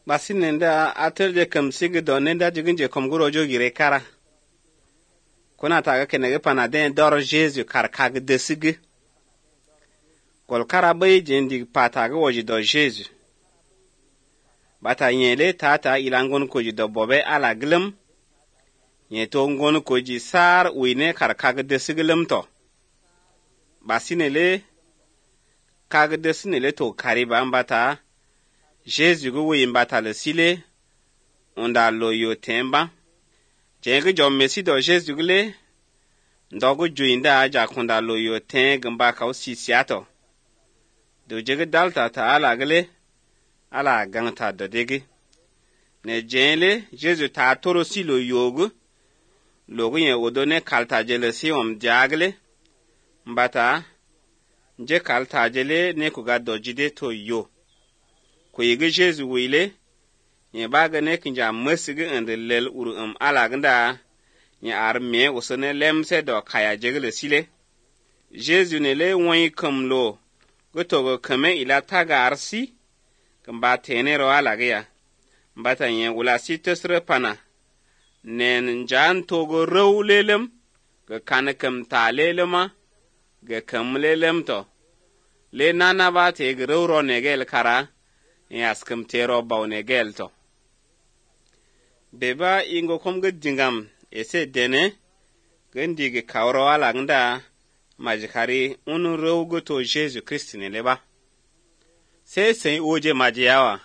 Basi nenda atel kam sigi do nenda jiginje kom guro jogire kara. Kuna taga kenege panaden doro Jesu kar kag desigi. Kol kara bay jendi pataga woji do Jesu. Bata nyele tata ilangon koji do bobe ala glem. Nyeto ngon koji sar uine kar kag desigi lemto. Basi nele kag desinele to kariba mbata Jesu go wi mbata le sile onda loyo temba jenge jom mesi do Jesu gule ndogo juinda aja konda loyo teng mbaka osisiato do jege dalta ta ala gele ala gangta do degi ne jenle Jesu ta toro silo yogu logo yen odone kalta jele si jagle mbata je kalta jele ne kuga dojide to yo ko yige Jesu wile ye baga ne kinja masigi ande lel uru alaganda ye arme usone lemse do kaya jegle sile Jesu ne le won kamlo gotogo kame ila taga arsi kamba tenero alagya mbata ye wala sitesre pana nen jan togo rowlelem ga kanakam talelema ga kamlelem to le nana ba te gro negel kara yaskam tero baw negel to beba ingo kom ga dingam ese dene gandige kawro ala ngda majikari unu rowgo to Jesu Christ ne leba se oje majiyawa